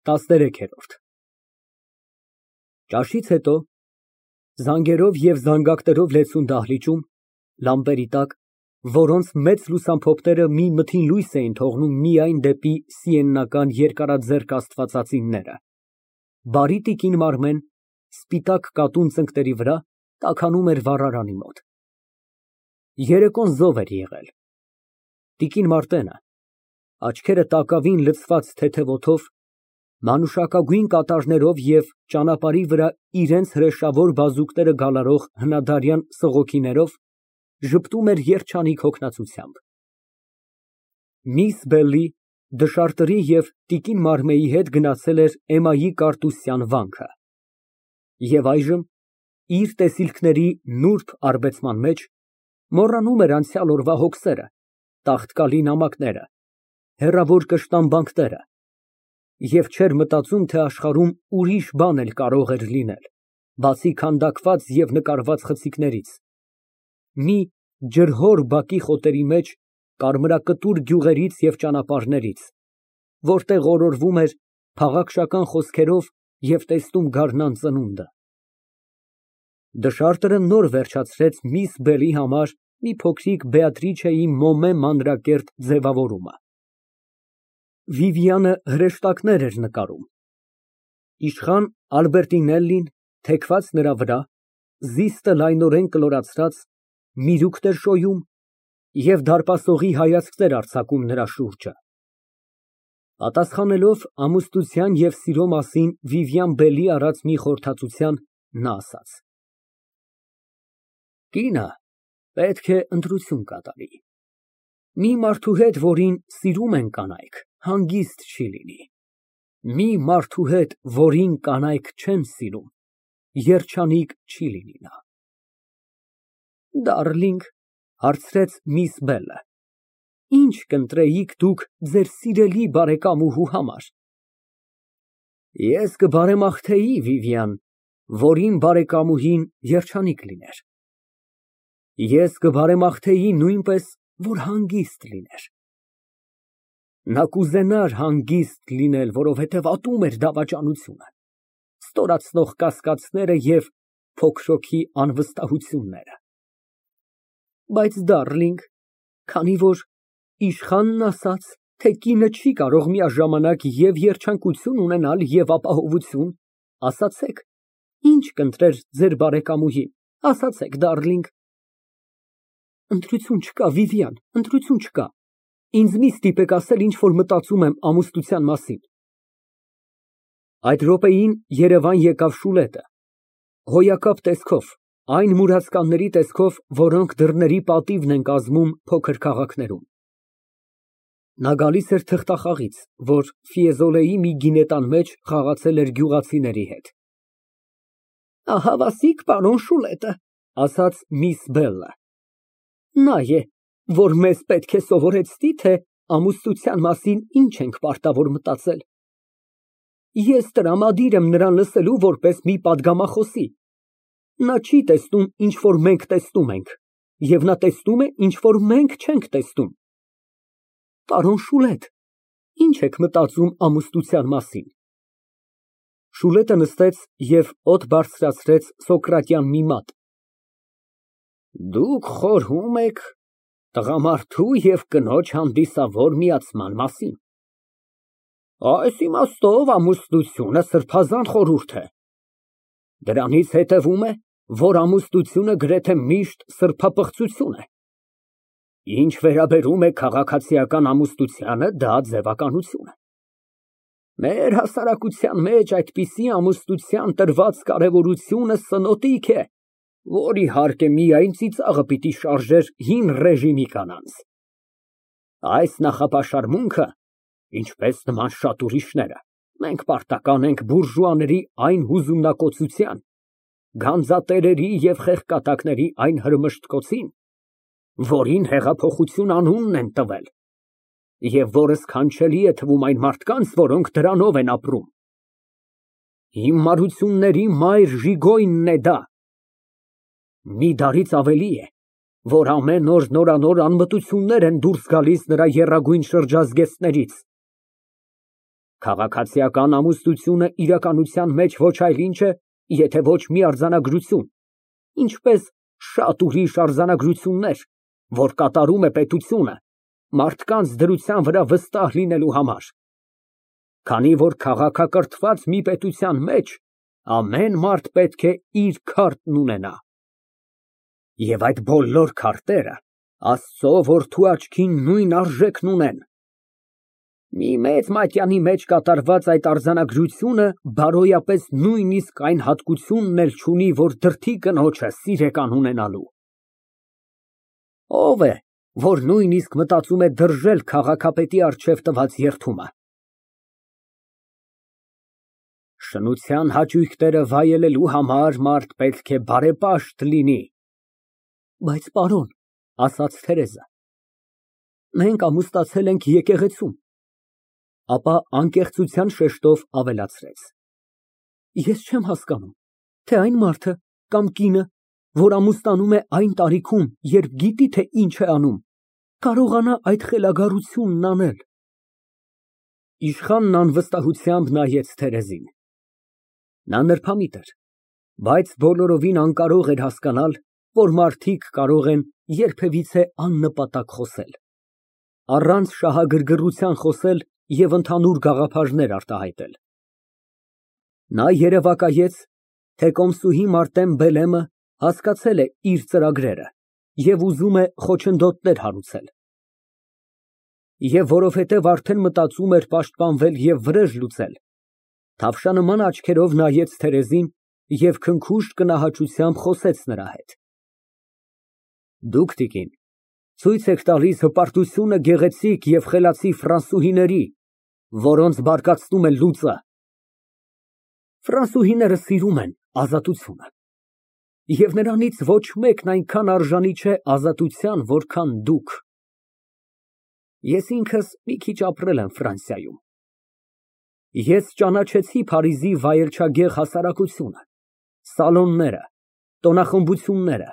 ՏԱՍՆԵՐԵՔԵՐՈՐԴ Ճաշից հետո, զանգերով և զանգակներով լեցուն դահլիճում, լամպերի տակ, որոնց մեծ լուսամփոփները մի մթին լույս էին թողնում միայն դեպի սիենական երկարաձեռք աստվածածինները, բարի տիկին Մարմեն սպիտակ կատուն ծնկների վրա տաքանում էր վառարանի մոտ։ Երեկոն զով էր եղել։ Տիկին Մարտենը, աչքերը տակավին լցված թեթև օդով, մանուշակագույն կատարներով և ճանապարհի վրա իրենց հրեշավոր բազուկները գալարող հնադարյան սղոքիներով, ժպտում էր երջանիկ հոգնածությամբ։ Միս Բելլի, դշարտերի և տիկին Մարմեի հետ գնացել էր էմայի Կարտուսյան վանքը և այժմ, իր տեսիլքների նուրբ արբեցման մեջ, մոռանում էր անցյալ օրվա հոգսերը, տաղտկալի նամակները, հեռավոր կշտամբանքները և չէր մտածում, թե աշխարհում ուրիշ բան էլ կարող էր լինել, բացի քանդակված և նկարված խցիկներից, մի ջրհոր բակի խոտերի մեջ կարմրակտուր գյուղերից և ճանապարհներից, որտեղ օրորվում էր փաղաքշական խոսքերով և տեսնում գարնան ծնունդը։ Դշարտերը նոր վերջացրեց միս Բելի համար մի փոքրիկ Բեատրիչեի մոմե մանրակերտ ձևավորումը։ Վիվիանը հրեշտակներ էր նկարում։ Իշխան Ալբերտինելլին, թեքված նրա վրա, զիստը լայնորեն կլորացրած, միրուքներ շոյում և դարպասողի հայացքներ արձակում նրա շուրջը։ Պատասխանելով ամուսնության և սիրո մասին Վիվիան Բելի արած մի խորհրդածության, նա ասաց. Կինը պետք է ընտրություն կատարի։ Մի մարդու հետ, որին սիրում են կանայք, հանգիստ չի լինի, մի մարդու հետ, որին կանայք չեն սիրում, երջանիկ չի լինի նա։ Դարլինգ, հարցրեց միս Բելը, ի՞նչ կընտրեիք դուք ձեր սիրելի բարեկամուհու համար։ Ես կբարեմաղթեի, Վիվիան, որ իմ բարեկամուհին երջանիկ լիներ։ Ես կբարեմաղթեի նույնպես, որ հանգիստ լիներ։ Նա կուզենար հանգիստ լինել, որովհետև ատում էր դավաճանությունը, ստորացնող կասկածները և փոքրոքի անվստահությունները։ Բայց, դարլինգ, քանի որ իշխանն ասաց, թե կինը չի կարող միաժամանակ և երջանկություն ունենալ և ապահովություն, ասացեք, ինչ կընտրեր ձեր բարեկամուհին, ասացեք, դարլինգ։ Ընտրություն չկա, Վիվիան, ընտրություն չկա, ինձ մի ստիպեք ասել, ինչ որ մտածում եմ ամուսնության մասին։ Այդ րոպեին երևան եկավ Շուլետը, հոյակապ տեսքով, այն մուրացկանների տեսքով, որոնք դռների պատիվն են կազմում փոքր քաղաքներում։ Նա գալիս էր թղթախաղից, որ Ֆիեզոլեի մի գինետան մեջ խաղացել էր գյուղացիների հետ։ Ահավասիկ պարոն Շուլետը, ասաց միս Բելը, նա է, որ մեզ պետք է սովորեցնի, թե ամուսնության մասին ինչ ենք պարտավոր մտածել։ Ես տրամադիր եմ նրան լսելու որպես մի պատգամախոսի։ Նա չի տեսնում, ինչ որ մենք տեսնում ենք, և նա տեսնում է, ինչ որ մենք չենք տեսնում։ Պարոն Շուլետ, ինչ եք մտածում ամուսնության մասին։ Շուլետը նստեց և օդ բարձրացրեց սոկրատյան մի մատ։ Դուք խորհում եք տղամարդու և կնոջ հանդիսավոր միացման մասին։ Այս իմաստով ամուսնությունը սրբազան խորհուրդ է։ Դրանից հետևում է, որ ամուսնությունը գրեթե միշտ սրբապղծություն է։ Ինչ վերաբերում է քաղաքացիական ամուսնությանը, դա ձևականություն է։ Մեր հասարակության մեջ այդպիսի ամուսնության տրված կարևորությունը սնոտիկ է, որ իհարկե միայն ծիծաղը պիտի շարժեր հին ռեժիմի կանանց։ Այս նախապաշարմունքը, ինչպես նման շատ ուրիշները, մենք պարտական ենք բուրժուաների այն հուզումնակոծության, գանձատերերի և խեղկատակների այն հրմշտկոցին, որին հեղափոխություն անունն են տվել, և որը սքանչելի է թվում այն մարդկանց, որոնք դրանով են ապրում։ Հիմարությունների մայր Ժիգոյնն է դա։ Մի դարից ավելի է, որ ամեն օր նորանոր անմտություններ են դուրս գալիս նրա եռագույն շրջազգեստներից։ Քաղաքացիական ամուսնությունը իրականության մեջ ոչ այլ ինչ է, եթե ոչ մի արձանագրություն, ինչպես շատ ուրիշ արձանագրություններ, որ կատարում է պետությունը մարդկանց դրության վրա վստահ լինելու համար։ Քանի որ քաղաքակրթված մի պետության մեջ ամեն մարդ պետք է իր քարտն ունենա։ Եվ այդ բոլոր քարտերը Աստծո որդու աչքին նույն արժեքն ունեն։ Մի մեծ մատյանի մեջ կատարված այդ արձանագրությունը բարոյապես նույնիսկ այն հատկությունն էլ չունի, որ դրդի կնոջը սիրեկան ունենալու։ Ո՞վ է, որ նույնիսկ մտածում է դրժել քաղաքապետի առջև տված երդումը։ Շնության հաճույքները վայելելու համար մարդ պետք է բարեպաշտ լինի։ Բայց պարոն, ասաց Թերեզը, մենք ամուսնացել ենք եկեղեցում։ Ապա անկեղծության շեշտով ավելացրեց. Ես չեմ հասկանում, թե այն մարդը կամ կինը, որ ամուսնանում է այն տարիքում, երբ գիտի, թե ինչ է անում, կարողանա այդ խելագարությունն անել։ Իշխանն անվստահությամբ նայեց Թերեզին։ Նա նրբամիտ էր, բայց բոլորովին անկարող էր հասկանալ, որ մարդիկ կարող են երբևիցե աննպատակ խոսել, առանց շահագրգռության խոսել և ընդհանուր գաղափարներ արտահայտել։ Նա երևակայեց, թե կոմսուհի Մարտեն Բելեմը հասկացել է իր ծրագրերը և ուզում է խոչընդոտներ հարուցել։ Եվ որովհետև արդեն մտածում էր պաշտպանվել և վրեժ լուծել, թավշանման աչքերով նայեց Թերեզին և քնքուշտ գնահատությամբ խոսեց նրա հետ։ Դուք, տիկին, ցույց եք տալիս հպարտությունը գեղեցիկ և խելացի ֆրանսուհիների, որոնց բարկացնում է լուծը։ Ֆրանսուհիները սիրում են ազատությունը, և նրանից ոչ մեկն այնքան արժանի չէ ազատության, որքան դուք։ Ես ինքս մի քիչ ապրել եմ Ֆրանսիայում։ Ես ճանաչեցի Փարիզի վայելչագեղ հասարակությունը, սալոնները, տոնախմբությունները,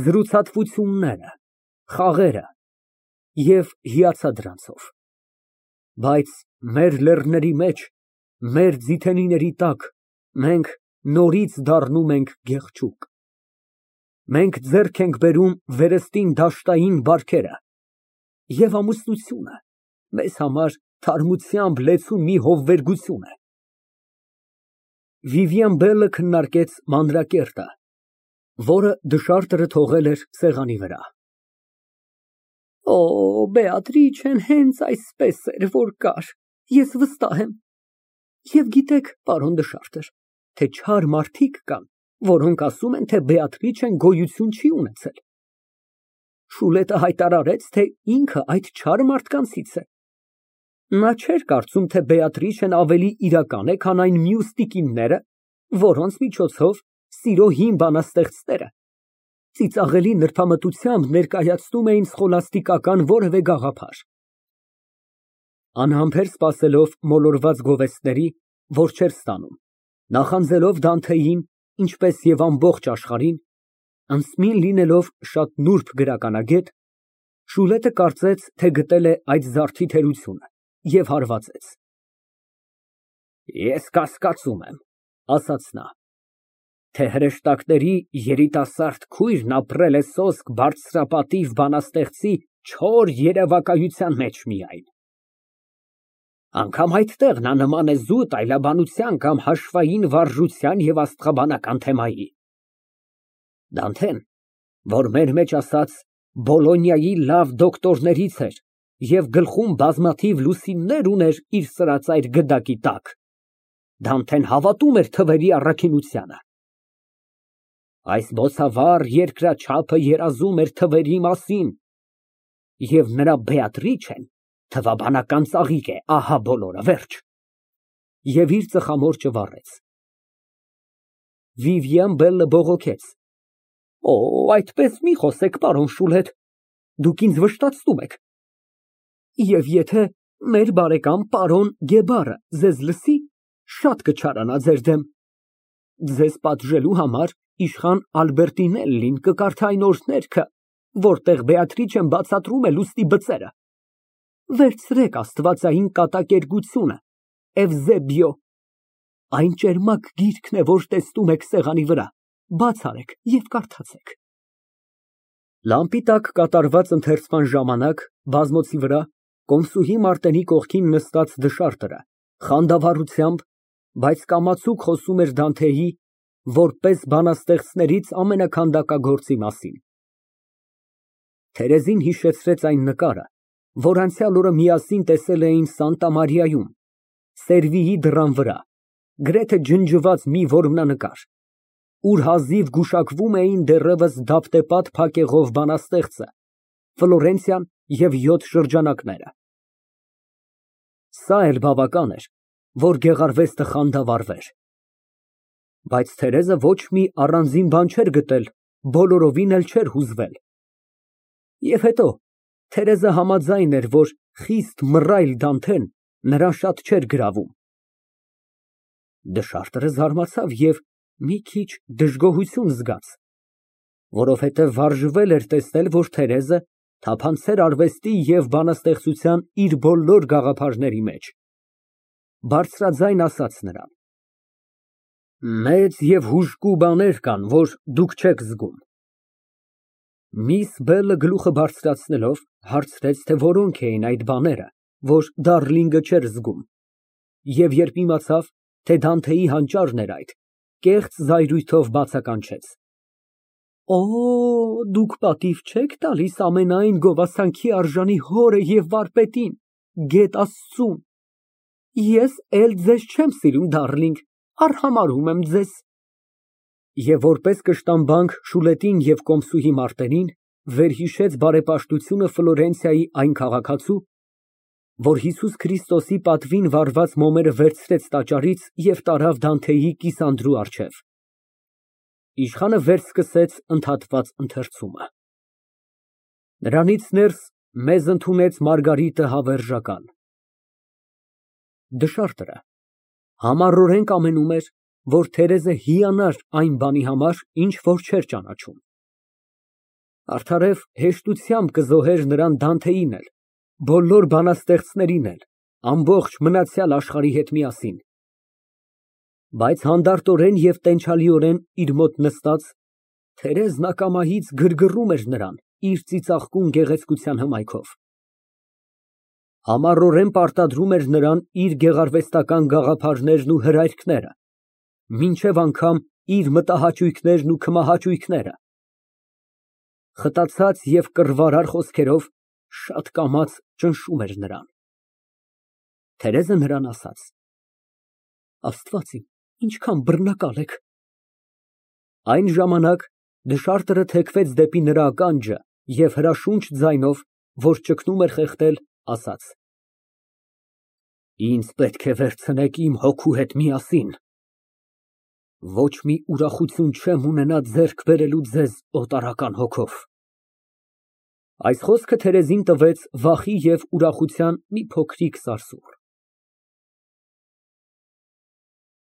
զրուցատվությունները, խաղերը և հիացա դրանցով։ Բայց մեր լեռների մեջ, մեր ձիթենիների տակ մենք նորից դառնում ենք գեղչուկ։ Մենք ձեռք ենք բերում վերստին դաշտային բարքերը, և ամուսնությունը մեզ համար թարմությամբ լեցուն մի հովվերգություն է։ Վիվիան Բելը քննարկեց մանրակերտը, որը դշարտը թողել էր սեղանի վրա։ Օ, Բեատրիչեն հենց այսպես էր, որ կար, ես վստահ եմ։ Եվ գիտեք, պարոն Դշարտեր, թե չար մարդիկ կան, որոնք ասում են, թե Բեատրիչեն գոյություն չի ունեցել։ Շուլետը հայտարարեց, թե ինքը այդ չար մարդկանցից է։ Նա չէր կարծում, թե Բեատրիչեն ավելի իրական է, քան այն մյուս տիկինները, որոնց միջոցով սիրո հին բանաստեղծները ծիծաղելի նրբամտությամբ ներկայացնում էին սխոլաստիկական որևէ գաղափար։ Անհամբեր սպասելով մոլորված գովեստների, որ չէր ստանում, նախանձելով Դանթեին, ինչպես և ամբողջ աշխարհին, անսմին լինելով շատ նուրբ գրականագետ, Շուլետը կարծեց, թե գտել է այդ զարդի թերությունը և հարվածեց։ Ես կասկածում եմ, ասաց նա, թե հրեշտակների երիտասարդ քույրն ապրել է սոսկ բարձրապատիվ բանաստեղծի չոր երևակայության մեջ միայն։ Անգամ այդտեղ նա նման է զուտ այլաբանության կամ հաշվային վարժության և աստղաբանական թեմայի։ Դանթեն, որ մեր մեջ ասած Բոլոնիայի լավ դոկտորներից էր և գլխում բազմաթիվ լուսիններ ուներ իր սրածայր գդակի տակ, Դանթեն հավատում էր թվերի առաքինությանը։ Այս բոցավառ երկրաչափը երազում էր թվերի մասին, և նրա Բեատրիչեն թվաբանական ծաղիկ է, ահա բոլորը, վերջ։ Եվ իր ծխամորճը վառեց։ Վիվիան Բելը բողոքեց. Օ, այդպես մի խոսեք, պարոն Շուլետ, դուք ինձ վշտացնում եք։ Եվ եթե մեր բարեկամ պարոն Գեբարը ձեզ լսի, շատ կչարանա ձեր դեմ։ Ձեզ պատժելու համար իշխան Ալբերտինելլին կկարդա այն օրհներգը, որտեղ Բեատրիչեն բացատրում է լուստի բծերը։ Վերցրեք աստվածային կատակերգությունը Էվզեբիո։ Այն ճերմակ գիրքն է, որ տեսնում եք սեղանի վրա, բաց արեք և կարդացեք։ Լամպի տակ կատարված ընթերցման ժամանակ բազմոցի վրա կոմսուհի Մարտենի կողքին նստած դշարտը խանդավառությամբ, բայց կամացուկ խոսում էր Դանթեի, որպես բանաստեղծներից ամենաքանդակագործի մասին։ Թերեզին հիշեցրեց այն նկարը, որ անցյալ օրը միասին տեսել էին Սանտա Մարիայում, Սերվիի դռան վրա, գրեթե ջնջված մի որմնանկար, ուր հազիվ գուշակվում էին դեռևս դափտեպատ փակեղով բանաստեղծը, Ֆլորենցիան և 7 շրջանակները։ Սա էլ բավական էր, որ գեղարվեստը խանդավառվեր։ Բայց Թերեզը ոչ մի առանձին բան չէր գտել, բոլորովին էլ չէր հուզվել։ Եվ հետո, Թերեզը համաձայն էր, որ խիստ մռայլ Դանթեն նրան շատ չէր գրավում։ Դշարտը զարմացավ և մի քիչ դժգոհություն զգաց, որովհետև վարժվել էր տեսնել, որ Թերեզը թափանցել արվեստի և բանաստեղծության իր բոլոր գաղափարների մեջ։ Բարձրաձայն ասաց նրան. Մեծ և հուժկու բաներ կան, որ դուք չեք զգում։ Միս Բելը գլուխը բարձրացնելով հարցրեց, թե որոնք էին այդ բաները, որ Դառլինգը չէր զգում, և երբ իմացավ, թե Դանթեի հանճարն էր այդ, կեղծ զայրույթով բացականչեց. Օ, դուք պատիվ չեք տալիս ամենայն գովասանքի արժանի հորը և վարպետին, գեթ Աստծուն։ Ես էլ ձեզ չեմ սիրում, Դառլինգ, արհամարհում եմ ձեզ։ Եվ որպես կշտամբանք Շուլետին և կոմսուհի Մարտենին, վերհիշեց բարեպաշտությունը Ֆլորենցիայի այն քաղաքացու, որ Հիսուս Քրիստոսի պատվին վարված մոմերը վերցրեց տաճարից և տարավ Դանթեի կիսանդրու առջև։ Իշխանը վերսկսեց ընդհատված ընթերցումը։ Նրանից ներս մեզ ընդունեց Մարգարիտը Հավերժական։ Դշարտը համառորեն կամենում էր, որ Թերեզը հիանար այն բանի համար, ինչ որ չէր ճանաչում։ Արդարև հեշտությամբ կզոհեր նրան Դանթեին էլ, բոլոր բանաստեղծներին էլ, ամբողջ մնացյալ աշխարհի հետ միասին։ Բայց հանդարտորեն և տենչալիորեն իր մոտ նստած, Թերեզն ակամայից գրգռում էր նրան իր ծիծաղկուն գեղեցկության հմայքով։ Համառորեն պարտադրում էր նրան իր գեղարվեստական գաղափարներն ու հրայրքները, մինչև անգամ իր մտահաճույքներն ու քմահաճույքները։ Խտացած և կռվարար խոսքերով շատ կամաց ճնշում էր նրան։ Թերեզը նրան ասաց. Աստված իմ, ինչքան բռնակալ եք։ Այն ժամանակ դշարտը թեքվեց դեպի նրա ականջը և հրաշունչ ձայնով, որ ճգնում էր խեղդել, ասաց. Ինձ պետք է վերցնեք իմ հոգու հետ միասին։ Ոչ մի ուրախություն չեմ ունենա ձեռք բերելու ձեզ օտարական հոգով։ Այս խոսքը Թերեզին տվեց վախի և ուրախության մի փոքրիկ սարսուռ։